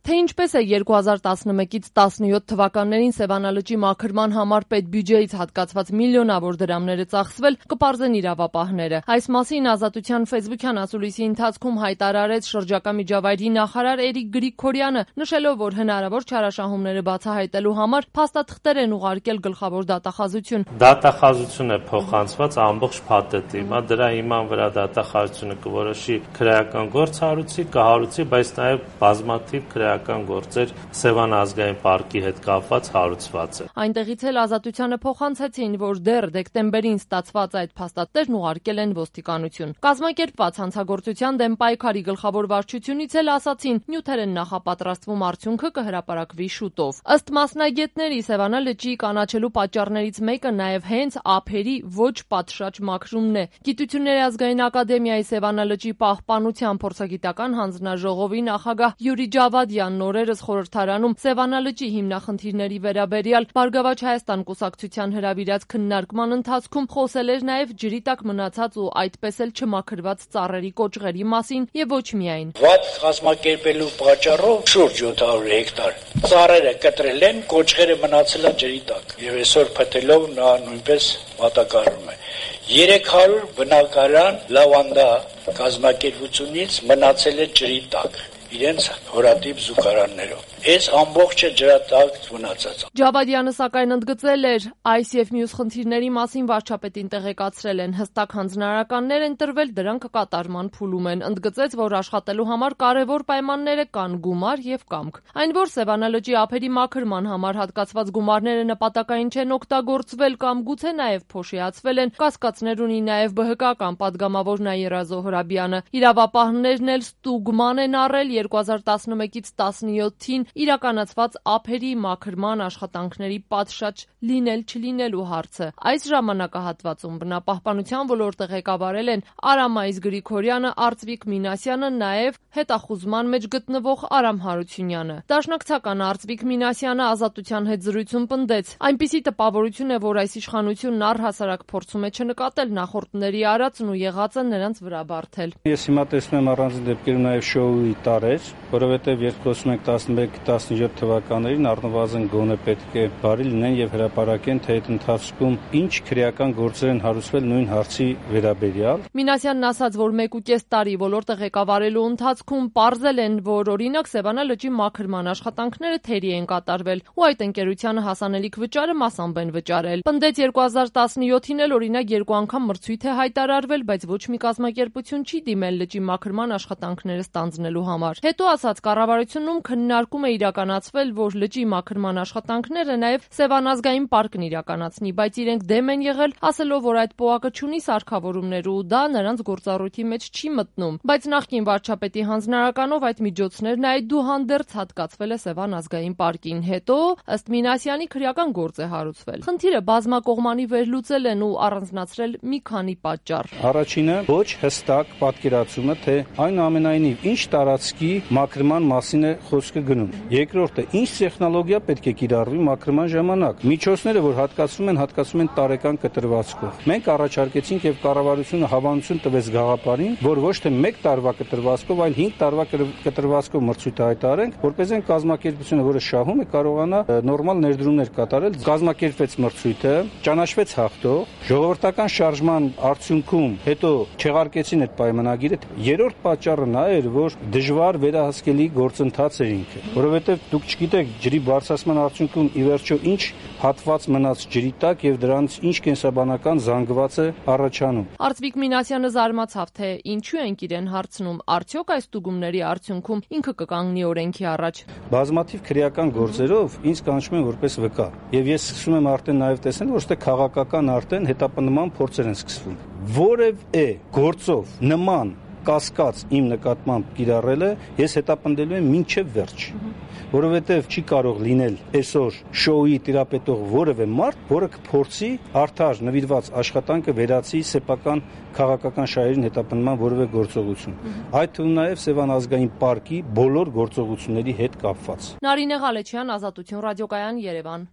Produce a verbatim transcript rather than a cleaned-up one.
Թե ինչպես է երկու հազար տասնմեկից տասնյոթ թվականներին Սևանա լճի մաքրման համար պետբյուջեից հատկացված միլիոնավոր դրամները ծախսվել, կպարզեն իրավապահները։ Այս մասին Ազատության ֆեյսբուքյան ասուլիսի ընթացքում հայտարարեց շրջակա միջավայրի նախարար Էրիկ Գրիգորյանը, նշելով, որ հնարավոր չարաշահումները բացահայտելու համար փաստաթղթեր են ուղարկել գլխավոր դատախազություն։ Դատախազություն է փոխանցված ամբողջ փաթեթի, հիմա դրա հիման վրա դատախազությունը կորոշի քրեական գործ հարուցի, կհարուցի, բայց նաև բազմաթիվ քրեական գործեր Սևանա ազգային պարկի հետ կապված հարուցված է։ Այնտեղից էլ Ազատությանը փոխանցեցին, որ դեռ դեկտեմբերին ստացված այդ փաստաթղթերն ուղարկել են ոստիկանություն։ Կազմակերպված հանցագործության դեմ պայքարի գլխավոր վարչությունից էլ ասացին, նյութեր են նախապատրաստվում, արդյունքը կհրապարակվի շուտով։ Ըստ մասնագետների, Սևանա լճի կանաչելու պատճառներից մեկը նաև հենց ափերի ոչ պատշաճ մաքրումն է։ Գիտությունների ազգային ակադեմիայի Սևանա լճի պահպանության փորձագիտական հանձնաժողովի նախագահ Յուրի Ջավադյանն օրերս խորհրդարանում Սևանա լճի հիմնախնդիրների վերաբերյալ Բարգավաճ Հայաստան կուսակցության հրավիրած քննարկման ընթացքում խոսել էր նաև ջրի տակ մնացած ու այդպես էլ չմաքրված ծառերի կոճղերի մասին եւ ոչ միայն։ Վատ կազմակերպելու պատճառով շուրջ յոթ հարյուր հեկտար ծառերը կտրել են, կոճղերը մնացել են ջրի տակ եւ այսօր փթելով նա նույնպես մատակարարում է։ երեք հարյուր բնակարան լավանդա կազմակերպությունից մնացել է ջրի տակ իրենց հորատիպ զուգարաններով։ Այս ամբողջը ջրատակ մնացած։ Ջավադյանը սակայն ընդգծել էր, այս եւ մյուս խնդիրների մասին վարչապետին տեղեկացրել են, հստակ հանձնարարականներ են տրվել, դրանք կատարման փուլում են։ Ընդգծեց, որ աշխատելու համար կարևոր պայմանները կան՝ գումար եւ կամք։ Այն, որ Սևանա լճի ափերի մաքրման համար հատկացված գումարները նպատակային չեն օգտագործվել կամ գուցե նաեւ փոշիացվել են, կասկածներ ունի նաեւ ԲՀԿ-ական падգամավոր Նաիրա Զոհրաբյանը։ Իրավապահներն էլ ստուգման են առել երկու հազար տասնմեկից տասնյոթին իրականացված ափերի մաքրման աշխատանքների պատշաճ լինել-չլինելու հարցը։ Այս ժամանակահատվածում բնապահպանության ոլորտը ղեկավարել են Արամայիս Գրիգորյանը, Արծվիկ Մինասյանը, նաև հետախուզման մեջ գտնվող Արամ Հարությունյանը։ Դաշնակցական Արծվիկ Մինասյանը Ազատության հետ զրույցում պնդեց. այնպիսի տպավորություն է, որ այս իշխանությունն առհասարակ փորձում է չնկատել նախորդների արածն ու եղածը նրանց վրա բարթել։ Ես հիմա տեսնում եմ առանձին դեպքերում նաև շոուի տարեր, որովհետև երբ խոսում ենք տասնմեկ տասնյոթ թվականներին առնվազն գոնե պետք է բարի լինեն եւ հրապարակեն, թե այդ ընթացքում ինչ քրեական գործեր են հարուցվել նույն հարցի վերաբերյալ։ Մինասյանն ասաց, որ մեկ ու կես տարի ոլորտը ղեկավարելու ընթացքում պարզել են, որ օրինակ Սևանա լճի մաքրման աշխատանքները թերի են կատարվել ու այդ ընկերությանը հասանելիք վճարը մասամբ են վճարել։ Պնդեց երկու հազար տասնյոթին էլ օրինակ երկու անգամ մրցույթ է հայտարարվել, բայց ոչ մի կազմակերպություն չի դիմել լճի մաքրման աշխատանքները ստանձնելու համար։ Հետո ասաց, կառավարությունում քննարկում է իրականացվել, որ լճի մաքրման աշխատանքները նաև Սևան ազգային պարկն իրականացնի, բայց իրենք դեմ են եղել, ասելով, որ այդ պոակը չունի սարքավորումներ ու դա նրանց գործառույթի մեջ չի մտնում։ Բայց նախկին վարչապետի հանձնարարականով այդ միջոցներն այդուհանդերձ հատկացվել է Սևան ազգային պարկին։ Հետո, ըստ Մինասյանի, քրեական գործ է հարուցվել։ Խնդիրը բազմակողմանի վերլուծել են ու առանձնացրել մի քանի պատճառ։ Առաջինը ոչ հստակ պատկերացումը, թե այնուամենայնիվ ինչ տարածքի մաքրման մասին է խոսքը գնում։ Երկրորդը, ինչ տեխնոլոգիա պետք է կիրառվի մաքրման ժամանակ։ Միջոցները, որ հատկացվում են, հատկացվում են տարեկան կտրվածքով։ Մենք առաջարկեցինք եւ կառավարությունը հավանություն տվեց գաղափարին, որ ոչ թե մեկ տարվա կտրվածքով, այլ հինգ տարվա կտրվածքով մրցույթ հայտարարենք, որպեսզի կազմակերպությունը, որը շահում է, կարողանա նորմալ ներդրումներ կատարել։ Կազմակերպվեց մրցույթը, ճանաչվեց հաղթող, ժողովրդական շարժման արդյունքում հետո չեղարկեցին այդ պայմանագիրը։ Երրորդ պատճառը նա էր, որ դժվար վերահսկելի գործընթաց էր ինքը, որովհետև դուք չգիտեք ջրի բարձրացման արդյունքում ի վերջո ինչ հատված մնաց ջրի տակ եւ դրանց ինչ կենսաբանական զանգված է առաջանում։ Արծվիկ Մինասյանը զարմացավ, թե ինչու ենք իրեն հարցնում, արդյոք այս ստուգումների արդյունքում ինքը կկանգնի օրենքի առաջ։ Բազմաթիվ քրեական գործերով ինձ կանչում են որպես վկա եւ ես սկսում եմ արդեն նաեւ տեսնել, որ ստե քաղաքական արդեն հետապնդման փորձեր են սկսվում։ Որևէ գործով նման կասկած իմ նկատմամբ կիրառելը ես հետապնդելու եմ մինչև վերջ, որովհետև չի կարող լինել այսօր շոուի տիրապետող որևէ մարդ, որը կփորձի արդար նվիրված աշխատանքը վերացի սեփական քաղաքական շահերին հետապնդման որևէ գործողություն։ Այդ թվում նաև Սևան ազգային պարկի բոլոր գործողությունների հետ կապված։ Նարինե Ղալեչյան, Ազատություն ռադիոկայան, Երևան։